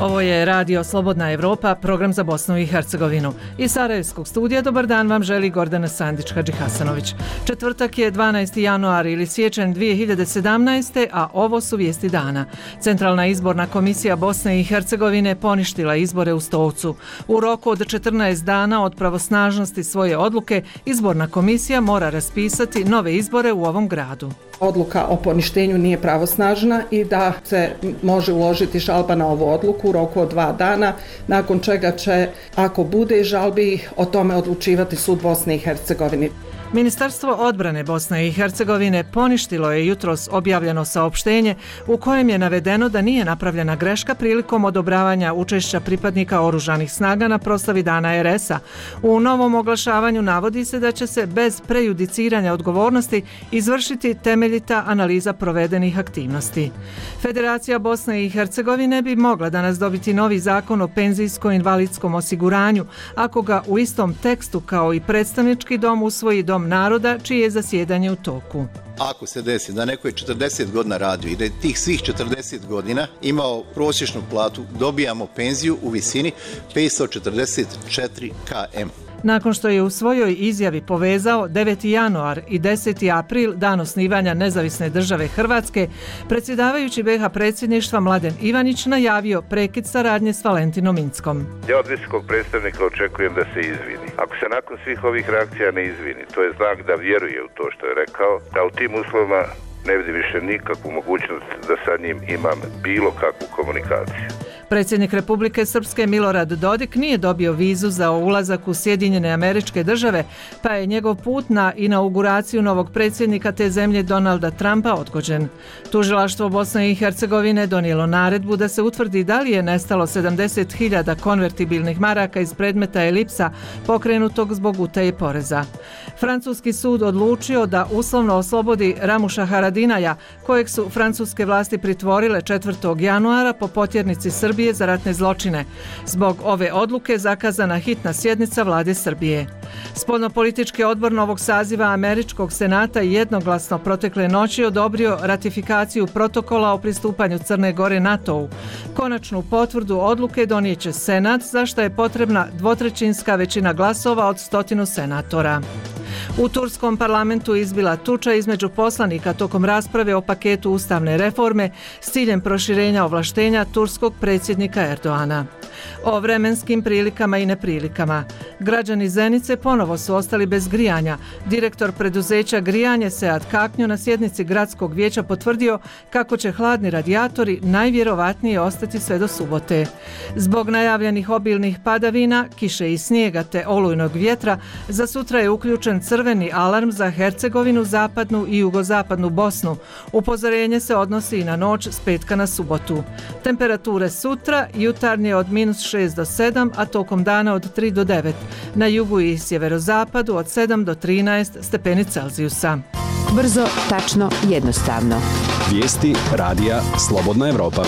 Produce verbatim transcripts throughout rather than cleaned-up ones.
Ovo je Radio Slobodna Evropa, program za Bosnu i Hercegovinu. Iz Sarajevskog studija dobar dan vam želi Gordana Sandić-Hadžihasanović. Četvrtak je dvanaesti januar ili siječanj dvije hiljade sedamnaeste. a ovo su vijesti dana. Centralna izborna komisija Bosne i Hercegovine poništila izbore u Stolcu. U roku od četrnaest dana od pravosnažnosti svoje odluke, izborna komisija mora raspisati nove izbore u ovom gradu. Odluka o poništenju nije pravosnažna i da se može uložiti žalba na ovu odluku u roku od dva dana, nakon čega će, ako bude žalbi, o tome odlučivati sud Bosne i Hercegovine. Ministarstvo odbrane Bosne i Hercegovine poništilo je jutros objavljeno saopštenje u kojem je navedeno da nije napravljena greška prilikom odobravanja učešća pripadnika oružanih snaga na proslavi Dana er es a. U novom oglašavanju navodi se da će se bez prejudiciranja odgovornosti izvršiti temeljita analiza provedenih aktivnosti. Federacija Bosne i Hercegovine bi mogla danas dobiti novi zakon o penzijsko-invalidskom osiguranju ako ga u istom tekstu kao i predstavnički dom usvoji Dom naroda čije je zasjedanje u toku. Ako se desi da neko je četrdeset godina radio i da je tih svih četrdeset godina imao prosječnu platu, dobijamo penziju u visini petsto četrdeset četiri km. Nakon što je u svojoj izjavi povezao deveti januar i deseti april, dan osnivanja nezavisne države Hrvatske, predsjedavajući be ha predsjedništva Mladen Ivanić najavio prekid saradnje s Valentinom Inckom. Ja od visokog predstavnika očekujem da se izvini. Ako se nakon svih ovih reakcija ne izvini, to je znak da vjeruje u to što je rekao, da u tim uslovima ne vidim više nikakvu mogućnost da sa njim imam bilo kakvu komunikaciju. Predsjednik Republike Srpske Milorad Dodik nije dobio vizu za ulazak u Sjedinjene Američke Države, pa je njegov put na inauguraciju novog predsjednika te zemlje Donalda Trumpa odgođen. Tužilaštvo Bosne i Hercegovine donijelo naredbu da se utvrdi da li je nestalo sedamdeset hiljada konvertibilnih maraka iz predmeta Elipsa pokrenutog zbog utaje poreza. Francuski sud odlučio da uslovno oslobodi Ramuša Haradinaja, kojeg su francuske vlasti pritvorile četvrtog januara po potjernici Srbije za ratne zločine. Zbog ove odluke zakazana hitna sjednica vlade Srbije. Spoljnopolitički odbor novog saziva Američkog senata jednoglasno protekle noći odobrio ratifikaciju protokola o pristupanju Crne Gore NATO-u. Konačnu potvrdu odluke donijet će Senat, za što je potrebna dvotrećinska većina glasova od stotinu senatora. U turskom parlamentu izbila tuča između poslanika tokom rasprave o paketu ustavne reforme s ciljem proširenja ovlaštenja turskog predsjednika Erdoana. O vremenskim prilikama i neprilikama. Građani Zenice ponovo su ostali bez grijanja. Direktor preduzeća Grijanje Sead Kaknjo na sjednici gradskog vijeća potvrdio kako će hladni radijatori najvjerovatnije ostati sve do subote. Zbog najavljenih obilnih padavina, kiše i snijega te olujnog vjetra, za sutra je uključen crveni alarm za Hercegovinu, zapadnu i jugozapadnu Bosnu. Upozorenje se odnosi i na noć s petka na subotu. Temperature sutra jutarnje od minus šest do sedam, a tokom dana od tri do devet. Na jugu i sjeverozapadu od sedam do trinaest stepeni Celzijusa. Brzo, tačno, jednostavno. Vijesti Radija Slobodna Evropa.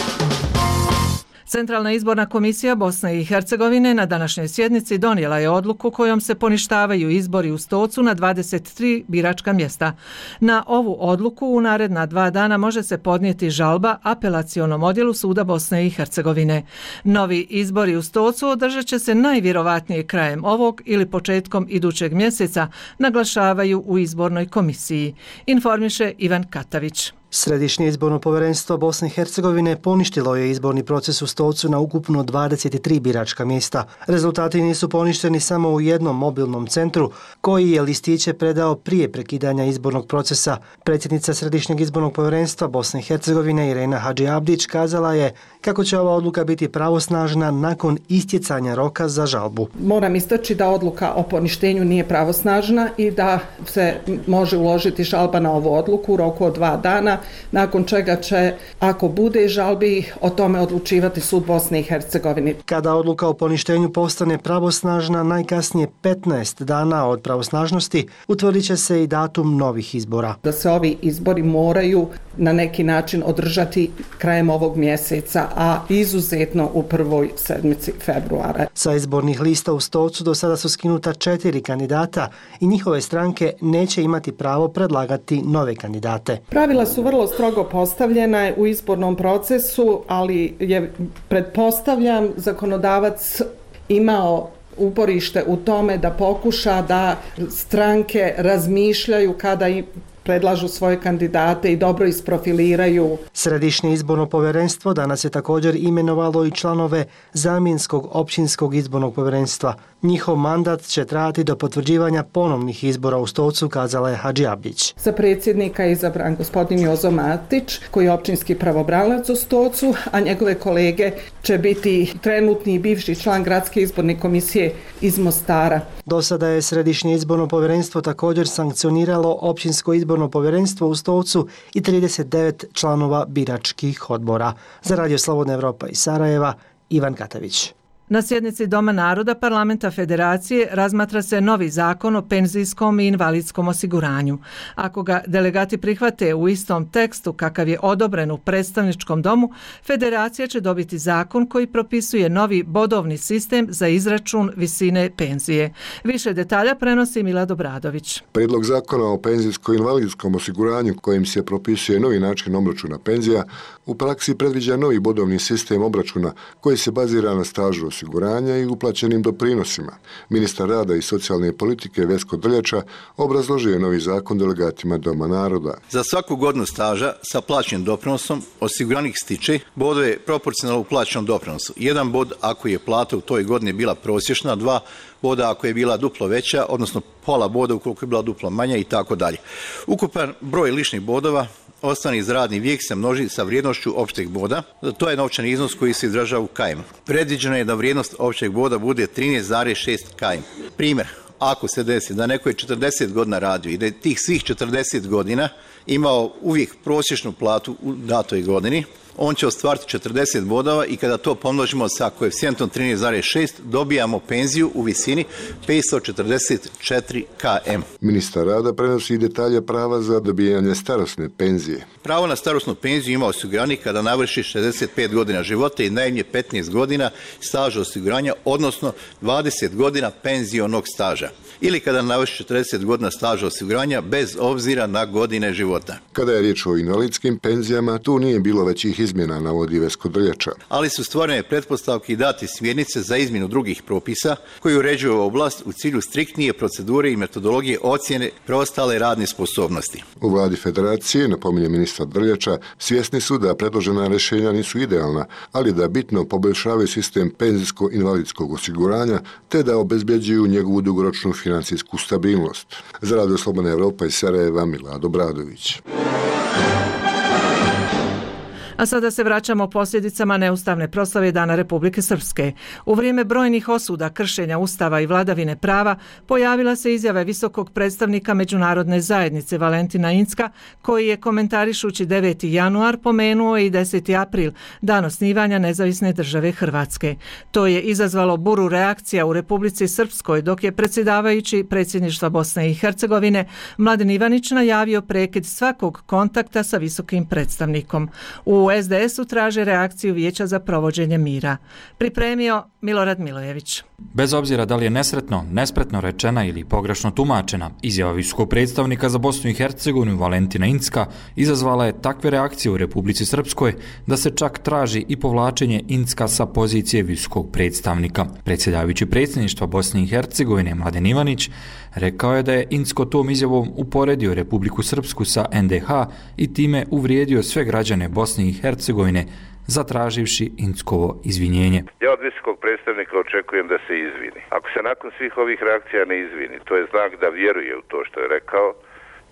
Centralna izborna komisija Bosne i Hercegovine na današnjoj sjednici donijela je odluku kojom se poništavaju izbori u Stolcu na dvadeset tri biračka mjesta. Na ovu odluku u naredna dva dana može se podnijeti žalba apelacionom odjelu suda Bosne i Hercegovine. Novi izbori u Stolcu održat će se najvjerovatnije krajem ovog ili početkom idućeg mjeseca, naglašavaju u izbornoj komisiji. Informiše Ivan Katavić. Središnje izborno povjerenstvo Bosne i Hercegovine poništilo je izborni proces u Stolcu na ukupno dvadeset tri biračka mjesta. Rezultati nisu poništeni samo u jednom mobilnom centru koji je listiće predao prije prekidanja izbornog procesa. Predsjednica Središnjeg izbornog povjerenstva Bosne i Hercegovine Irena Hadžiabdić kazala je kako će ova odluka biti pravosnažna nakon istjecanja roka za žalbu. Moram istaći da odluka o poništenju nije pravosnažna i da se može uložiti žalba na ovu odluku u roku od dva dana, nakon čega će, ako bude žalbi, o tome odlučivati sud Bosne i Hercegovine. Kada odluka o poništenju postane pravosnažna najkasnije petnaest dana od pravosnažnosti, utvrdit će se i datum novih izbora. Da se ovi izbori moraju na neki način održati krajem ovog mjeseca, a izuzetno u prvoj sedmici februara. Sa izbornih lista u Stolcu do sada su skinuta četiri kandidata i njihove stranke neće imati pravo predlagati nove kandidate. Pravila su vrlo vrlo strogo postavljena u izbornom procesu, ali je, pretpostavljam, zakonodavac imao uporište u tome da pokuša da stranke razmišljaju kada i predlažu svoje kandidate i dobro isprofiliraju. Središnje izborno povjerenstvo danas je također imenovalo i članove zamjenskog općinskog izbornog povjerenstva. Njihov mandat će trajati do potvrđivanja ponovnih izbora u Stolcu, kazala je Hadži Abdić. Za predsjednika je izabran gospodin Jozo Matić, koji je općinski pravobranilac u Stolcu, a njegove kolege će biti trenutni i bivši član gradske izborne komisije iz Mostara. Do sada je Središnje izborno povjerenstvo također sankcioniralo općinsko izborno povjerenstvo u Stolcu i trideset devet članova biračkih odbora. Za Radio Slobodna Evropa iz Sarajeva, Ivan Katavić. Na sjednici Doma naroda Parlamenta Federacije razmatra se novi zakon o penzijskom i invalidskom osiguranju. Ako ga delegati prihvate u istom tekstu kakav je odobren u predstavničkom domu, Federacija će dobiti zakon koji propisuje novi bodovni sistem za izračun visine penzije. Više detalja prenosi Milad Obradović. Prijedlog zakona o penzijsko-invalidskom osiguranju kojim se propisuje novi način obračuna penzija u praksi predviđa novi bodovni sistem obračuna koji se bazira na stažu osiguranja i uplaćenim doprinosima. Ministar rada i socijalne politike Vesko Drljača obrazložio je novi zakon delegatima Doma naroda. Za svaku godinu staža sa plaćenim doprinosom osiguranik stiče bodove proporcionalno uplaćenom doprinosu. Jedan bod ako je plata u toj godini bila prosječna, dva boda ako je bila duplo veća, odnosno pola boda ukoliko je bila duplo manja i tako dalje. Ukupan broj ličnih bodova ostvareni za radni vijek se množi sa vrijednošću opšteg boda. To je novčani iznos koji se izražava u kajmu. Predviđeno je da vrijednost opšteg boda bude trinaest zarez šest kajm. Primjer, ako se desi da neko je četrdeset godina radio i da je tih svih četrdeset godina imao uvijek prosječnu platu u datoj godini, on će ostvariti četrdeset bodova i kada to pomnožimo sa koeficijentom trinaest zarez šest dobijamo penziju u visini petsto četrdeset četiri km. Ministar rada prenosi detalje prava za dobijanje starosne penzije. Pravo na starosnu penziju ima osiguranik kada navrši šezdeset pet godina života i najmanje petnaest godina staža osiguranja, odnosno dvadeset godina penzionog staža. Ili kada navrši četrdeset godina staža osiguranja bez obzira na godine života. Kada je riječ o invalidskim penzijama, tu nije bilo većih izmjena, navodi Vesko Drljača. Ali su stvorene pretpostavke i dati smjernice za izmjenu drugih propisa koji uređuju oblast u cilju striktnije procedure i metodologije ocjene preostale radne sposobnosti. U vladi Federacije, napominje ministar Drljača, svjesni su da predložena rješenja nisu idealna, ali da bitno poboljšavaju sistem penzijsko-invalidskog osiguranja te da obezbjeđuju njegovu dugoročnu financijsku stabilnost. Za Radio Slobodna Evropa iz Sarajeva, Milad Obradović. A sada se vraćamo posljedicama neustavne proslave Dana Republike Srpske. U vrijeme brojnih osuda kršenja Ustava i vladavine prava pojavila se izjava visokog predstavnika međunarodne zajednice Valentina Incka, koji je komentarišući deveti januar pomenuo i deseti april, dan osnivanja nezavisne države Hrvatske. To je izazvalo buru reakcija u Republici Srpskoj, dok je predsjedavajući predsjedništva Bosne i Hercegovine Mladen Ivanić najavio prekid svakog kontakta sa visokim predstavnikom. U U es de esu traže reakciju Vijeća za provođenje mira. Pripremio Milorad Milojević. Bez obzira da li je nesretno, nespretno rečena ili pogrešno tumačena, izjava visokog predstavnika za Bosnu i Hercegovinu Valentina Incka izazvala je takve reakcije u Republici Srpskoj da se čak traži i povlačenje Incka sa pozicije visokog predstavnika. Predsjedavajući predsjedništva Bosne i Hercegovine Mladen Ivanić rekao je da je Incko tom izjavom uporedio Republiku Srpsku sa en de ha i time uvrijedio sve građane Bosne i Hercegovine, zatraživši Inckovo izvinjenje. Ja od visokog predstavnika očekujem da se izvini. Ako se nakon svih ovih reakcija ne izvini, to je znak da vjeruje u to što je rekao,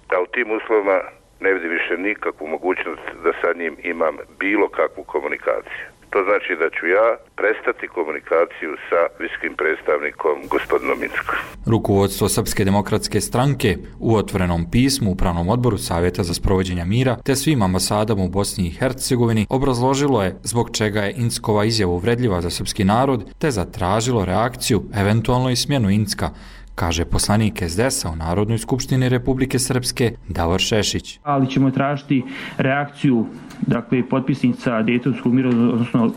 da u tim uslovima ne vidim više nikakvu mogućnost da sa njim imam bilo kakvu komunikaciju. To znači da ću ja prestati komunikaciju sa visokim predstavnikom gospodinom Inckom. Rukovodstvo Srpske demokratske stranke u otvorenom pismu Upravnom odboru Savjeta za sprovođenje mira te svim ambasadama u Bosni i Hercegovini obrazložilo je zbog čega je Inckova izjava uvredljiva za srpski narod te zatražilo reakciju, eventualno i smjenu Incka, kaže poslanik es de esa u Narodnoj skupštini Republike Srpske Davor Šešić. Ali ćemo tražiti reakciju, dakle, potpisnica Dejtonskog mirovnog, odnosno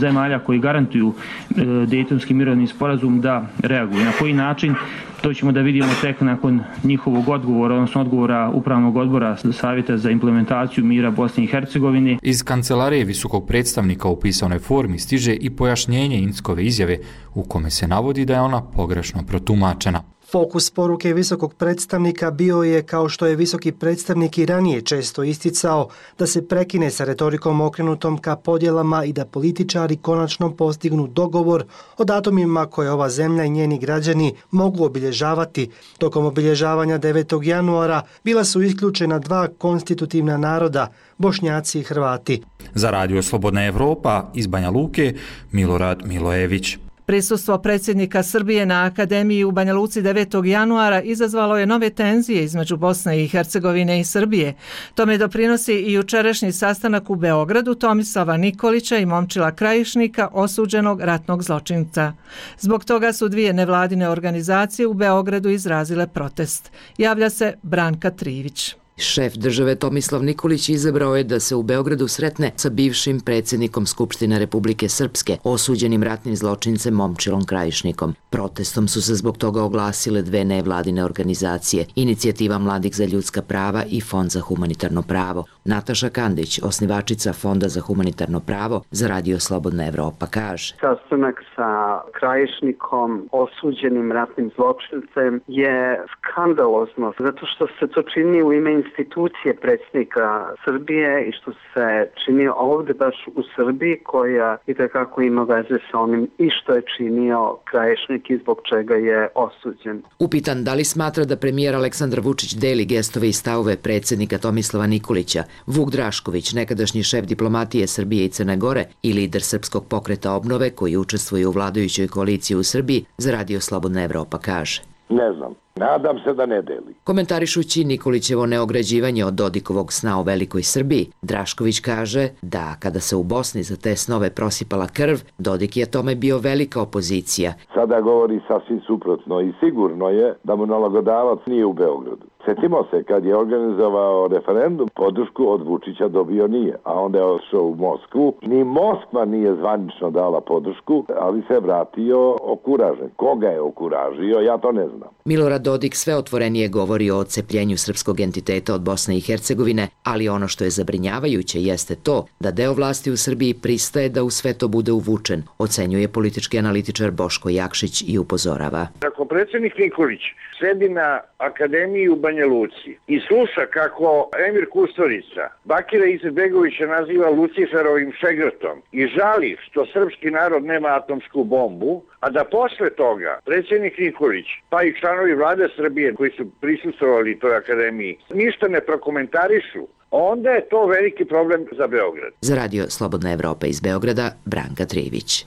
zemalja koji garantuju e, Dejtonski mirovni sporazum da reaguju. Na koji način To ćemo da vidimo tek nakon njihovog odgovora, odnosno odgovora Upravnog odbora Savjeta za implementaciju mira Bosne i Hercegovine. Iz kancelarije visokog predstavnika u pisanoj formi stiže i pojašnjenje Inckove izjave u kome se navodi da je ona pogrešno protumačena. Fokus poruke visokog predstavnika bio je, kao što je visoki predstavnik i ranije često isticao, da se prekine sa retorikom okrenutom ka podjelama i da političari konačno postignu dogovor o datumima koje ova zemlja i njeni građani mogu obilježavati. Tokom obilježavanja devetog januara bila su isključena dva konstitutivna naroda, Bošnjaci i Hrvati. Za Radio Slobodna Evropa iz Banja Luke, Milorad Milojević. Prisustvo predsjednika Srbije na Akademiji u Banja Luci devetog januara izazvalo je nove tenzije između Bosne i Hercegovine i Srbije. Tome doprinosi i jučerašnji sastanak u Beogradu Tomislava Nikolića i Momčila Krajišnika, osuđenog ratnog zločinca. Zbog toga su dvije nevladine organizacije u Beogradu izrazile protest. Javlja se Branka Trivić. Šef države Tomislav Nikolić izabrao je da se u Beogradu sretne sa bivšim predsjednikom Skupštine Republike Srpske, osuđenim ratnim zločincem Momčilom Krajišnikom. Protestom su se zbog toga oglasile dve nevladine organizacije, Inicijativa mladih za ljudska prava i Fond za humanitarno pravo. Nataša Kandić, osnivačica Fonda za humanitarno pravo, za Radio Slobodna Evropa kaže: Sastanak sa Krajišnikom, osuđenim ratnim zločincem, je skandalozno, zato što se to čini u ime institucije predsjednika Srbije i što se čini ovdje baš u Srbiji, koja itekako ima veze sa onim i što je činio Krajišnik i zbog čega je osuđen. Upitan da li smatra da premijer Aleksandar Vučić deli gestove i stavove predsjednika Tomislava Nikolića, Vuk Drašković, nekadašnji šef diplomatije Srbije i Crne Gore i lider Srpskog pokreta obnove koji učestvuje u vladajućoj koaliciji u Srbiji, za Radio Slobodna Evropa kaže: Ne znam. Nadam se da ne deli. Komentarišući Nikolićevo neograđivanje od Dodikovog sna o velikoj Srbiji, Drašković kaže da kada se u Bosni za te snove prosipala krv, Dodik je tome bio velika opozicija. Sada govori sasvim suprotno i sigurno je da mu nalagodavac nije u Beogradu. Sjetimo se kad je organizovao referendum, podršku od Vučića dobio nije, a onda je ošao u Moskvu. Ni Moskva nije zvanično dala podršku, ali se vratio okuražen. Koga je okuražio, ja to ne znam. Milorad Dodik sve otvorenije govori o odcepljenju srpskog entiteta od Bosne i Hercegovine, ali ono što je zabrinjavajuće jeste to da deo vlasti u Srbiji pristaje da u sve to bude uvučen, ocenjuje politički analitičar Boško Jakšić i upozorava. Ako predsjednik Nikolić sedi na Akademiji u Banja Luci i sluša kako Emir Kusturica Bakira Izetbegovića naziva Luciferovim šegrtom i žali što srpski narod nema atomsku bombu, a da posle toga predsjednik Nikolić, pa i članovi vlade Srbije koji su prisustvovali toj akademiji, ništa ne prokomentarišu, onda je to veliki problem za Beograd. Za Radio Slobodna Evropa iz Beograda, Branka Trivić.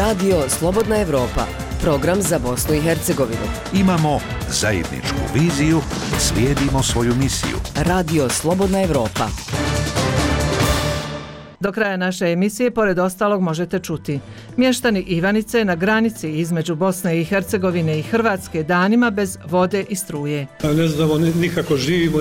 Radio Slobodna Evropa, program za Bosnu i Hercegovinu. Imamo zajedničku viziju, slijedimo svoju misiju. Radio Slobodna Evropa. Do kraja naše emisije, pored ostalog, možete čuti: mještani Ivanice na granici između Bosne i Hercegovine i Hrvatske danima bez vode i struje. Ne znamo nikako živimo,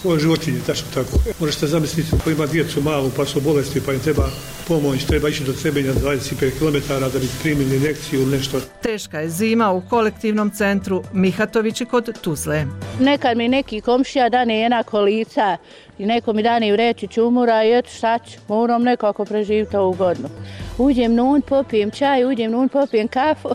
koje životinje, tačno tako. Možete zamisliti ko ima djecu malu pa su bolesti pa im treba pomoć, treba ići do Trebinja dvadeset pet kilometara da bi primili injekciju ili nešto. Teška je zima u kolektivnom centru Mihatovići kod Tuzle. Nekad mi neki komšija dane jedna kolica i neko mi dane u reći čumura i eto šta ću, moram nekako preživiti ovu godinu. Uđem nun, popijem čaj, uđem nun, popijem kafu.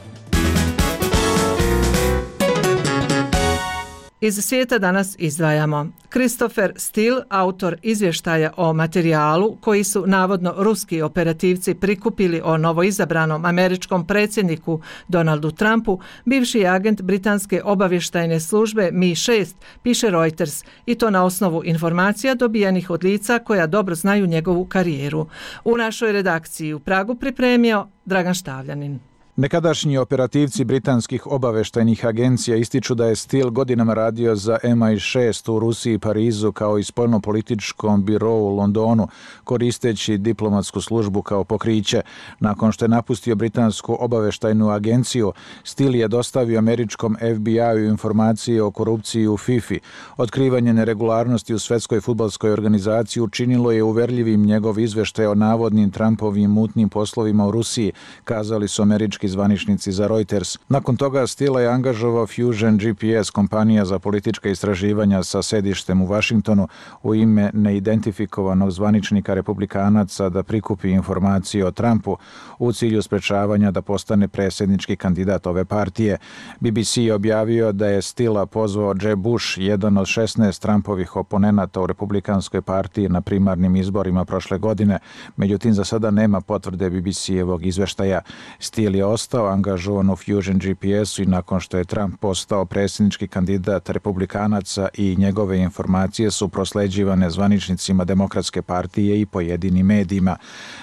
Iz svijeta danas izdvajamo: Christopher Steele, autor izvještaja o materijalu koji su navodno ruski operativci prikupili o novoizabranom američkom predsjedniku Donaldu Trumpu, bivši je agent britanske obavještajne službe M I šest, piše Reuters, i to na osnovu informacija dobijenih od lica koja dobro znaju njegovu karijeru. U našoj redakciji u Pragu pripremio Dragan Štavljanin. Nekadašnji operativci britanskih obavještajnih agencija ističu da je Steele godinama radio za M I šest u Rusiji i Parizu kao i spoljnopolitičkom birou u Londonu, koristeći diplomatsku službu kao pokriće. Nakon što je napustio britansku obavještajnu agenciju, Steele je dostavio američkom F B I-u informacije o korupciji u FIFA. Otkrivanje neregularnosti u svjetskoj fudbalskoj organizaciji učinilo je uverljivim njegov izveštaj o navodnim Trumpovim mutnim poslovima u Rusiji, kazali su američki zvaničnici za Reuters. Nakon toga Steele je angažovao Fusion G P S, kompanija za politička istraživanja sa sedištem u Vašingtonu, u ime neidentifikovanog zvaničnika republikanaca da prikupi informacije o Trumpu u cilju sprečavanja da postane predsjednički kandidat ove partije. B B C je objavio da je Steele pozvao Jeb Bush, jedan od šesnaest Trumpovih oponenata u republikanskoj partiji, na primarnim izborima prošle godine. Međutim, za sada nema potvrde B B C-evog izveštaja. Steele je ostao angažovan u Fusion G P S-u i nakon što je Trump postao predsjednički kandidat republikanaca i njegove informacije su prosleđivane zvaničnicima Demokratske partije i pojedinim medijima.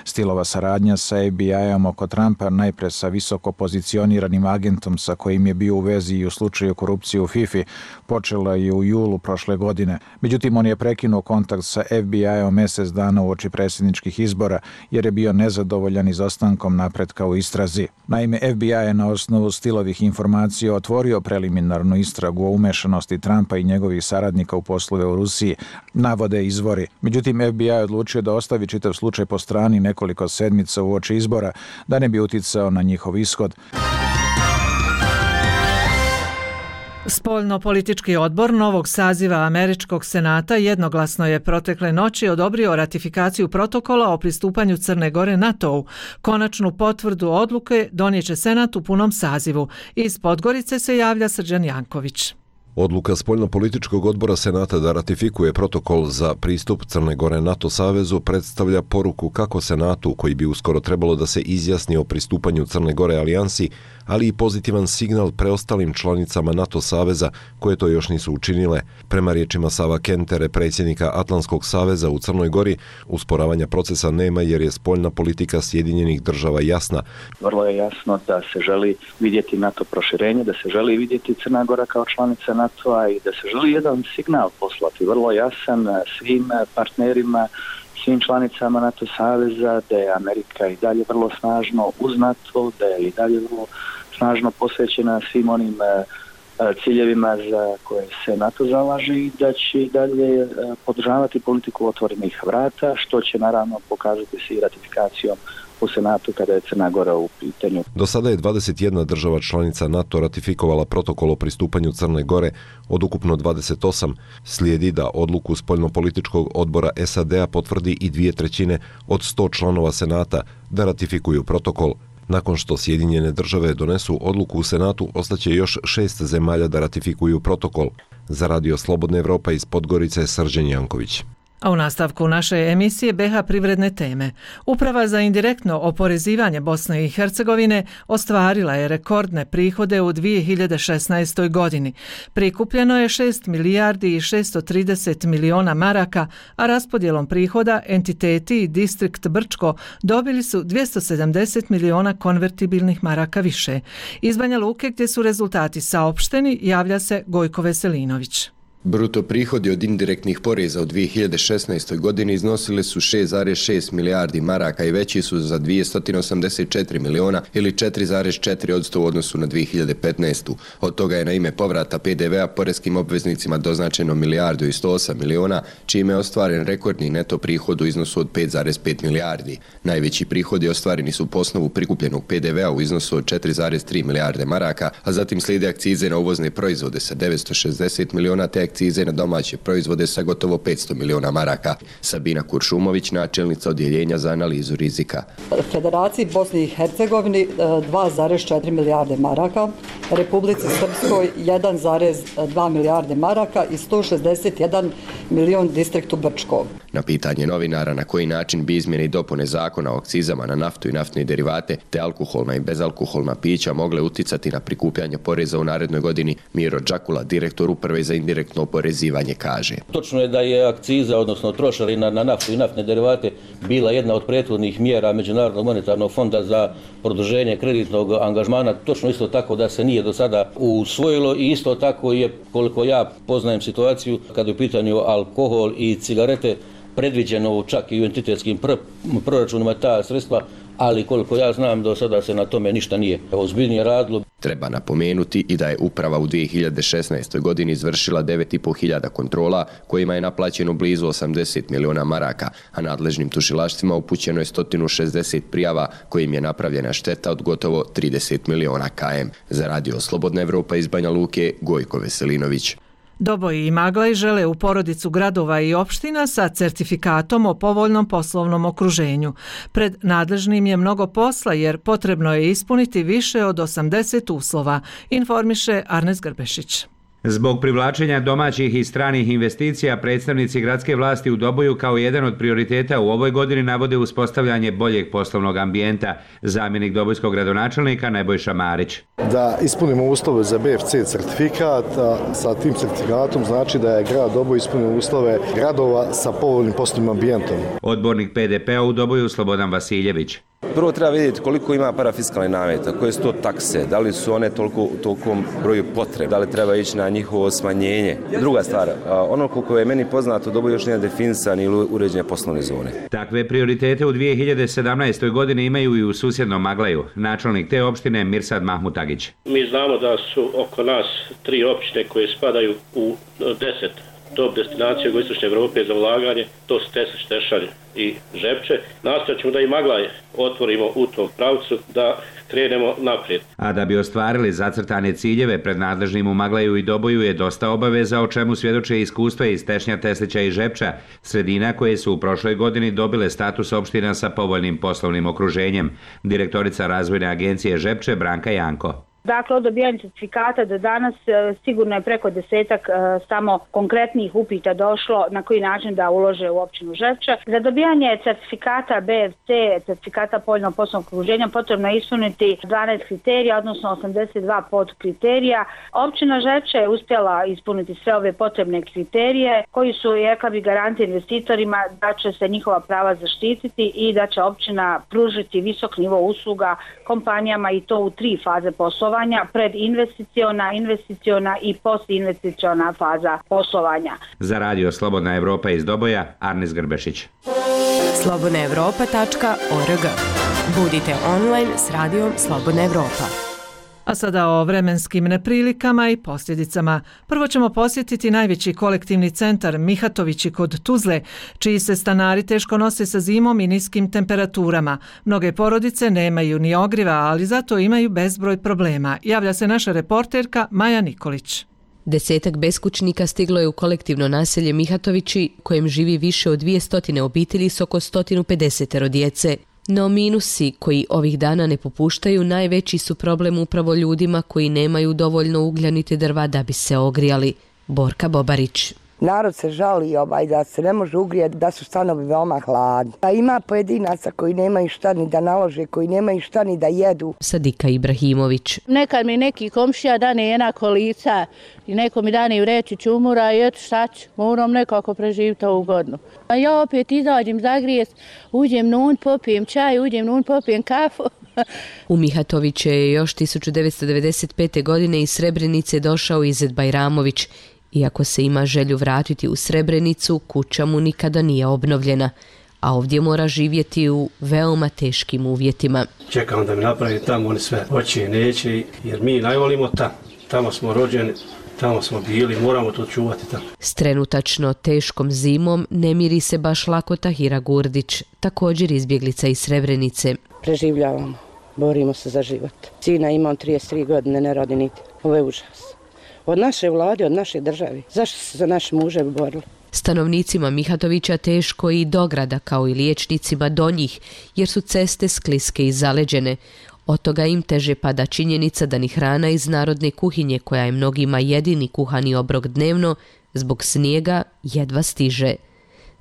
Steelova saradnja sa F B I-om oko Trumpa, najpre sa visoko pozicioniranim agentom sa kojim je bio u vezi i u slučaju korupcije u FIFA, počela je u julu prošle godine. Međutim, on je prekinuo kontakt sa F B I-om mjesec dana uoči predsjedničkih izbora jer je bio nezadovoljan izostankom napretka u istrazi. Naime, F B I je na osnovu Steelovih informacija otvorio preliminarnu istragu o umešanosti Trumpa i njegovih saradnika u poslove u Rusiji, navode izvori. Međutim, F B I je odlučio da ostavi čitav slučaj po strani nekoliko sedmica uoči izbora, da ne bi uticao na njihov ishod. Spoljno-politički odbor novog saziva Američkog senata jednoglasno je protekle noći odobrio ratifikaciju protokola o pristupanju Crne Gore NATO-u. Konačnu potvrdu odluke donijet će Senat u punom sazivu. Iz Podgorice se javlja Srđan Janković. Odluka Spoljno-političkog odbora Senata da ratifikuje protokol za pristup Crne Gore NATO savezu predstavlja poruku kako Senatu, koji bi uskoro trebalo da se izjasni o pristupanju Crne Gore alijansi, ali i pozitivan signal preostalim članicama NATO saveza koje to još nisu učinile. Prema riječima Sava Kentere, predsjednika Atlantskog saveza u Crnoj Gori, usporavanja procesa nema jer je spoljna politika Sjedinjenih država jasna. Vrlo je jasno da se želi vidjeti NATO proširenje, da se želi vidjeti Crna Gora kao članica NATO-a i da se želi jedan signal poslati, vrlo jasan svim partnerima, svim članicama NATO saveza, da je Amerika i dalje vrlo snažno uz NATO, da je i dalje vrlo snažno posvećena svim onim ciljevima za koje se NATO zalaže i da će i dalje podržavati politiku otvorenih vrata, što će naravno pokazati se i ratifikacijom u Senatu kada je Crna Gora u pitanju. Do sada je dvadeset jedna država članica NATO ratifikovala protokol o pristupanju Crne Gore od ukupno dvadeset osam. Slijedi da odluku spoljno-političkog odbora S A D-a potvrdi i dvije trećine od sto članova Senata da ratifikuju protokol. Nakon što Sjedinjene države donesu odluku u Senatu, ostaće još šest zemalja da ratifikuju protokol. Za Radio Slobodna Evropa iz Podgorice, Srđan Janković. A u nastavku naše emisije B H privredne teme. Uprava za indirektno oporezivanje Bosne i Hercegovine ostvarila je rekordne prihode u dvije hiljade šesnaestoj. godini. Prikupljeno je šest milijardi i šesto trideset miliona maraka, a raspodjelom prihoda entiteti i distrikt Brčko dobili su dvjesto sedamdeset miliona konvertibilnih maraka više. Iz Banja Luke, gdje su rezultati saopšteni, javlja se Gojko Veselinović. Bruto prihodi od indirektnih poreza u dvije hiljade šesnaestoj. godini iznosili su šest zarez šest milijardi maraka i veći su za dvjesto osamdeset četiri miliona ili četiri zarez četiri posto u odnosu na dvije hiljade petnaestu. Od toga je na ime povrata P D V-a poreskim obveznicima doznačeno milijardu i sto osam miliona, čime je ostvaren rekordni neto prihod u iznosu od pet zarez pet milijardi. Najveći prihodi ostvareni su po osnovu prikupljenog P D V-a u iznosu od četiri zarez tri milijarde maraka, a zatim slijede akcize na uvozne proizvode sa devetsto šezdeset miliona te akcize na domaće proizvode sa gotovo petsto miliona maraka. Sabina Kuršumović, načelnica odjeljenja za analizu rizika. Federaciji Bosni i Hercegovini dva zarez četiri milijarde maraka, Republici Srpskoj jedan zarez dva milijarde maraka i sto šezdeset jedan milion distriktu Brčko. Na pitanje novinara na koji način bi izmjene i dopune zakona o akcizama na naftu i naftne derivate te alkoholna i bezalkoholna pića mogle uticati na prikupljanje poreza u narednoj godini, Miro Đakula, direktor uprave za indirektno oporezivanje, kaže. Točno je da je akciza, odnosno trošarina na naftu i naftne derivate bila jedna od prethodnih mjera Međunarodnog monetarnog fonda za produženje kreditnog angažmana. Točno isto tako da se nije do sada usvojilo i isto tako je, koliko ja poznajem situaciju, kada je u pitanju alkohol i cigarete, predviđeno čak i u entitetskim pr- proračunima ta sredstva, ali koliko ja znam do sada se na tome ništa nije ozbiljnije radilo. Treba napomenuti i da je uprava u dvije hiljade šesnaestoj. godini izvršila devet i po hiljada kontrola kojima je naplaćeno blizu osamdeset miliona maraka, a nadležnim tužilaštvima upućeno je sto šezdeset prijava kojim je napravljena šteta od gotovo trideset miliona km. Za Radio Slobodna Evropa iz Banja Luke, Gojko Veselinović. Doboji i Maglaj žele u porodicu gradova i opština sa certifikatom o povoljnom poslovnom okruženju. Pred nadležnim je mnogo posla jer potrebno je ispuniti više od osamdeset uslova, informiše Arnes Grbešić. Zbog privlačenja domaćih i stranih investicija, predstavnici gradske vlasti u Doboju kao jedan od prioriteta u ovoj godini navode uspostavljanje boljeg poslovnog ambijenta. Zamjenik dobojskog gradonačelnika Nebojša Marić. Da ispunimo uslove za B F C certifikat, sa tim certifikatom znači da je grad Doboj ispunio uslove gradova sa povoljnim poslovnim ambijentom. Odbornik P D P-a u Doboju Slobodan Vasiljević. Prvo treba vidjeti koliko ima parafiskalnih nameta, koje su to takse, da li su one toliko u tolikom broju potrebe, da li treba ići na njihovo smanjenje. Druga stvar, ono koliko je meni poznato, Doboj još nije definisan ili uređenje poslovne zone. Takve prioritete u dvije hiljade sedamnaestoj. godini imaju i u susjednom Maglaju. Načelnik te opštine Mirsad Mahmutagić. Mi znamo da su oko nas tri opštine koje spadaju u deset top destinacije jugoistočne Evrope za ulaganje, to su Tesaš, Tešalj i Žepče. Nastojat ćemo da i Maglaj otvorimo u tom pravcu, da krenemo naprijed. A da bi ostvarili zacrtane ciljeve, pred nadležnim u Maglaju i Doboju je dosta obaveza, o čemu svjedoče iskustva iz Tešnja, Teslića i Žepča, sredina koje su u prošloj godini dobile status opština sa povoljnim poslovnim okruženjem. Direktorica razvojne agencije Žepče Branka Janko. Dakle, od dobijanja certifikata do danas sigurno je preko desetak samo konkretnih upita došlo na koji način da ulože u općinu Žepče. Za dobijanje certifikata B F C, certifikata povoljnog poslovnog okruženja, potrebno je ispuniti dvanaest kriterija, odnosno osamdeset dva podkriterija. Općina Žepče je uspjela ispuniti sve ove potrebne kriterije koji su, rekla bi, garanti investitorima da će se njihova prava zaštititi i da će općina pružiti visok nivo usluga kompanijama i to u tri faze poslovanja. Predinvesticiona, investiciona i postinvesticiona faza poslovanja. Za Radio Slobodna Evropa iz Doboja, Arnes Grbešić. slobodna evropa tačka org. Budite online s Radijom Slobodna Evropa. A sada o vremenskim neprilikama i posljedicama. Prvo ćemo posjetiti najveći kolektivni centar Mihatovići kod Tuzle, čiji se stanari teško nose sa zimom i niskim temperaturama. Mnoge porodice nemaju ni ogriva, ali zato imaju bezbroj problema. Javlja se naša reporterka Maja Nikolić. Desetak beskućnika stiglo je u kolektivno naselje Mihatovići, kojem živi više od dvjesto obitelji s oko sto pedeset djece. No minusi koji ovih dana ne popuštaju najveći su problem upravo ljudima koji nemaju dovoljno uglja niti drva da bi se ogrijali. Borka Bobarić. Narod se žali ovaj da se ne može ugrijati, da su stanovi veoma hladni. A ima pojedinaca koji nemaju šta ni da nalože, koji nemaju šta ni da jedu. Sadika Ibrahimović. Nekad mi neki komšija dane jedna kolica i neko mi dane vreći čumura i eto šta ću, moram nekako preživiti ovu godinu. A ja opet izađem zagrijest, uđem nun, popijem čaj, uđem nun, popijem kafu. U Mihatoviće je još tisuću devetsto devedeset pete. godine iz Srebrenice došao Izet Bajramović. Iako se ima želju vratiti u Srebrenicu, kuća mu nikada nije obnovljena, a ovdje mora živjeti u veoma teškim uvjetima. Čekam da mi napravi tamo, oni sve hoće i neće, jer mi najvolimo tamo. Tamo smo rođeni, tamo smo bili, moramo to čuvati tamo. S trenutačno teškom zimom ne miri se baš lako Tahira Gurdić, također izbjeglica iz Srebrenice. Preživljavamo, borimo se za život. Sina imam trideset tri godine, ne rodi niti. Ovo je užas. Od naše vlade, od naše države. Zašto se za naše muževi borili? Stanovnicima Mihatovića teško i do grada, kao i liječnicima do njih, jer su ceste skliske i zaleđene. Od toga im teže pada činjenica da ni hrana iz narodne kuhinje, koja je mnogima jedini kuhani obrok dnevno, zbog snijega jedva stiže.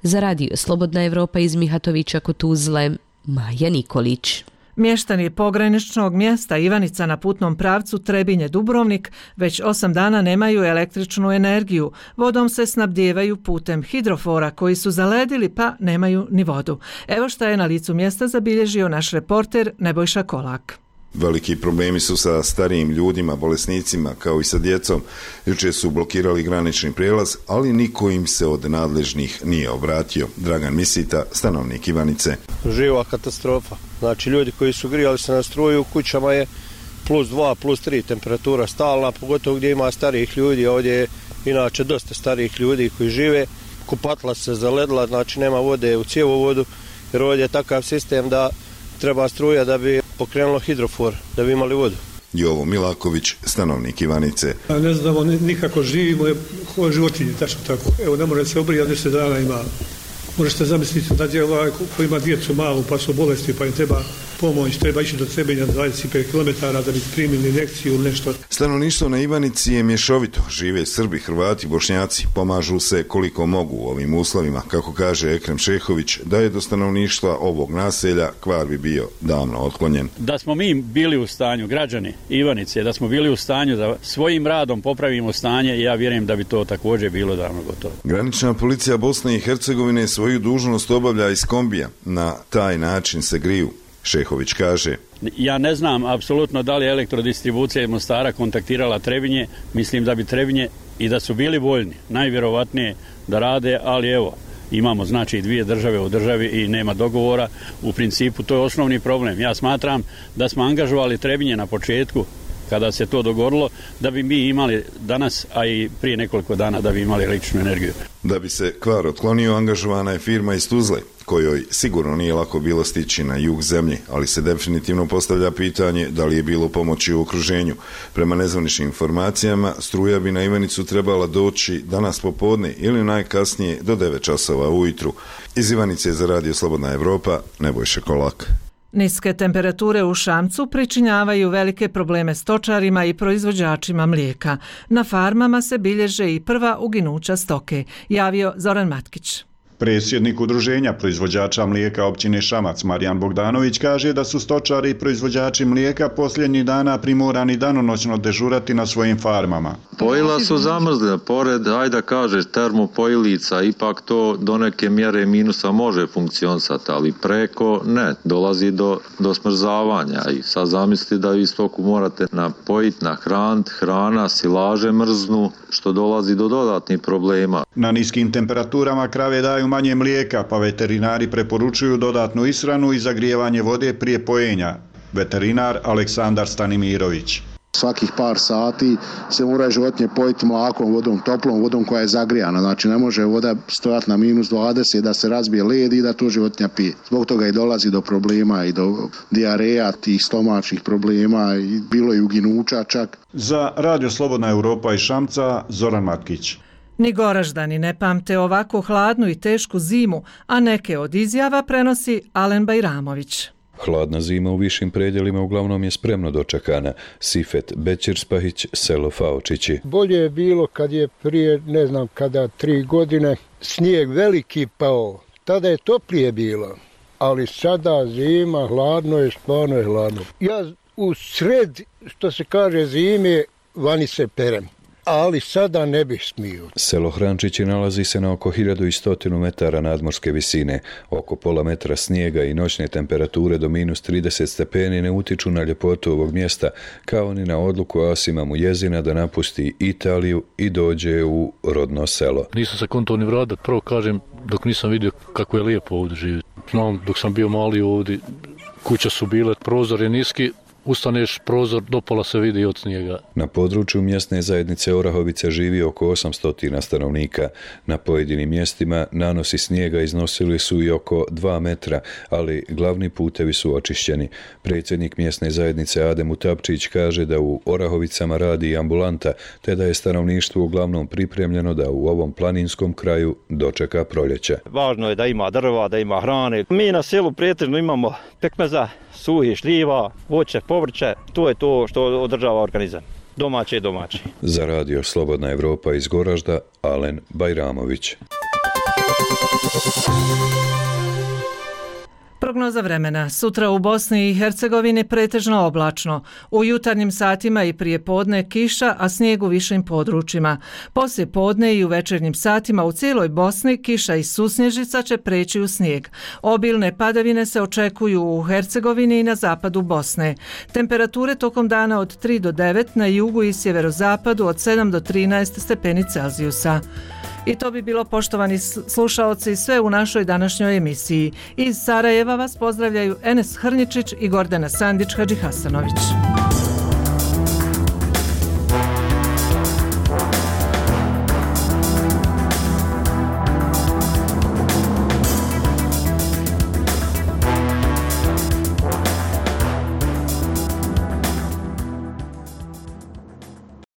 Za Radio Slobodna Evropa iz Mihatovića kod Tuzle, Maja Nikolić. Mještani pograničnog mjesta Ivanica na putnom pravcu Trebinje-Dubrovnik već osam dana nemaju električnu energiju. Vodom se snabdijevaju putem hidrofora koji su zaledili pa nemaju ni vodu. Evo šta je na licu mjesta zabilježio naš reporter Nebojša Kolak. Veliki problemi su sa starijim ljudima, bolesnicima, kao i sa djecom. Jučer su blokirali granični prijelaz, ali niko im se od nadležnih nije obratio. Dragan Misita, stanovnik Ivanice. Živa katastrofa. Znači ljudi koji su grijali se na struju u kućama je plus dva, plus tri temperatura stalna, pogotovo gdje ima starijih ljudi. Ovdje je inače dosta starijih ljudi koji žive. Kupatla se zaledla, znači nema vode u cjevovodu, jer ovdje je takav sistem da treba struja da bi pokrenulo hidrofor, da bi imali vodu. Jovo Milaković, stanovnik Ivanice. Ne znamo nikako živimo, ovo životinje, tačno tako. Evo, ne može se obrijati, deset dana ima. Možete zamisliti da je ovaj ko ima djecu malu pa su bolesti pa im treba pomoć, treba ići do Trebinja dvadeset pet kilometara da bi primili injekciju ili nešto. Stanovništvo na Ivanici je mješovito. Žive Srbi, Hrvati, Bošnjaci. Pomažu se koliko mogu u ovim uslovima. Kako kaže Ekrem Šehović, da je do stanovništva ovog naselja kvar bi bio davno otklonjen. Da smo mi bili u stanju, građani Ivanice, da smo bili u stanju da svojim radom popravimo stanje, ja vjerujem da bi to također bilo davno gotovo. Granična policija Bosne i Hercegovine svoju dužnost obavlja iz kombija. Na taj način se griju. Šehović kaže. Ja ne znam apsolutno da li je elektrodistribucija iz Mostara kontaktirala Trebinje. Mislim da bi Trebinje i da su bili voljni, najvjerovatnije da rade, ali evo, imamo znači dvije države u državi i nema dogovora. U principu to je osnovni problem. Ja smatram da smo angažovali Trebinje na početku kada se to dogodilo, da bi mi imali danas, a i prije nekoliko dana da bi imali električnu energiju. Da bi se kvar otklonio, angažovana je firma iz Tuzle, kojoj sigurno nije lako bilo stići na jug zemlje, ali se definitivno postavlja pitanje da li je bilo pomoći u okruženju. Prema nezvaničnim informacijama, struja bi na Ivanicu trebala doći danas popodne ili najkasnije do devet časova ujutru. Iz Ivanice za Radio Slobodna Evropa, Nebojša Kolak. Niske temperature u Šamcu pričinjavaju velike probleme stočarima i proizvođačima mlijeka. Na farmama se bilježe i prva uginuća stoke, javio Zoran Matkić. Predsjednik udruženja proizvođača mlijeka općine Šamac Marijan Bogdanović kaže da su stočari i proizvođači mlijeka posljednjih dana primorani danonoćno dežurati na svojim farmama. Pojila su zamrzle, pored, ajde da kažeš, termopojilica, ipak to do neke mjere minusa može funkcionisati, ali preko ne, dolazi do, do smrzavanja i sad zamisli da vi stoku morate napojiti, nahraniti, hrana, silaže mrznu, što dolazi do dodatnih problema. Na niskim temperaturama krave daju manje mlijeka, pa veterinari preporučuju dodatnu ishranu i zagrijevanje vode prije pojenja. Veterinar Aleksandar Stanimirović. Svakih par sati se mora životinje pojiti mlakom vodom, toplom vodom koja je zagrijana. Znači ne može voda stojati na minus dvadeset da se razbije led i da to životinja pije. Zbog toga i dolazi do problema i do dijareja, tih stomačnih problema i bilo je uginuća čak. Za Radio Slobodna Evropa iz Šamca, Zoran Matkić. Ni Goraždani ne pamte ovako hladnu i tešku zimu, a neke od izjava prenosi Alen Bajramović. Hladna zima u višim predjelima uglavnom je spremno dočekana. Sifet Bećirspahić, selo Faočići. Bolje je bilo kad je prije, ne znam kada, tri godine, snijeg veliki pao. Tada je toplije bilo, ali sada zima, hladno je, stvarno je hladno. Ja u sred, što se kaže, zime, vani se perem. Ali sada ne bih smio. Selo Hrančići nalazi se na oko hiljadu sto metara nadmorske visine. Oko pola metra snijega i noćne temperature do minus trideset stepeni ne utiču na ljepotu ovog mjesta, kao ni na odluku Asima Mujezina da napusti Italiju i dođe u rodno selo. Nisam se konto ni vratit, prvo kažem, dok nisam vidio kako je lijepo ovdje živjeti. Znam, dok sam bio mali ovdje, kuće su bile, prozor je niski, ustaneš prozor, dopola se vidi od snijega. Na području mjesne zajednice Orahovica živi oko osamsto stanovnika. Na pojedinim mjestima nanosi snijega iznosili su i oko dva metra, ali glavni putevi su očišćeni. Predsjednik mjesne zajednice Adem Utapčić kaže da u Orahovicama radi i ambulanta, te da je stanovništvo uglavnom pripremljeno da u ovom planinskom kraju dočeka proljeće. Važno je da ima drva, da ima hrane. Mi na selu pretežno imamo pekmeza, suhi šljiva, voće, povrće, to je to što održava organizam. Domaće i domaće. Za Radio Slobodna Evropa iz Goražda, Alen Bajramović. Prognoza vremena. Sutra u Bosni i Hercegovini pretežno oblačno. U jutarnjim satima i prije podne kiša, a snijeg u višim područjima. Poslije podne i u večernjim satima u cijeloj Bosni kiša i susnježica će preći u snijeg. Obilne padavine se očekuju u Hercegovini i na zapadu Bosne. Temperature tokom dana od tri do devet, na jugu i sjeverozapadu od sedam do trinaest stepeni Celzijusa. I to bi bilo, poštovani slušaoci, sve u našoj današnjoj emisiji. Iz Sarajeva vas pozdravljaju Enes Hrnjičić i Gordana Sandić Hadžihasanović.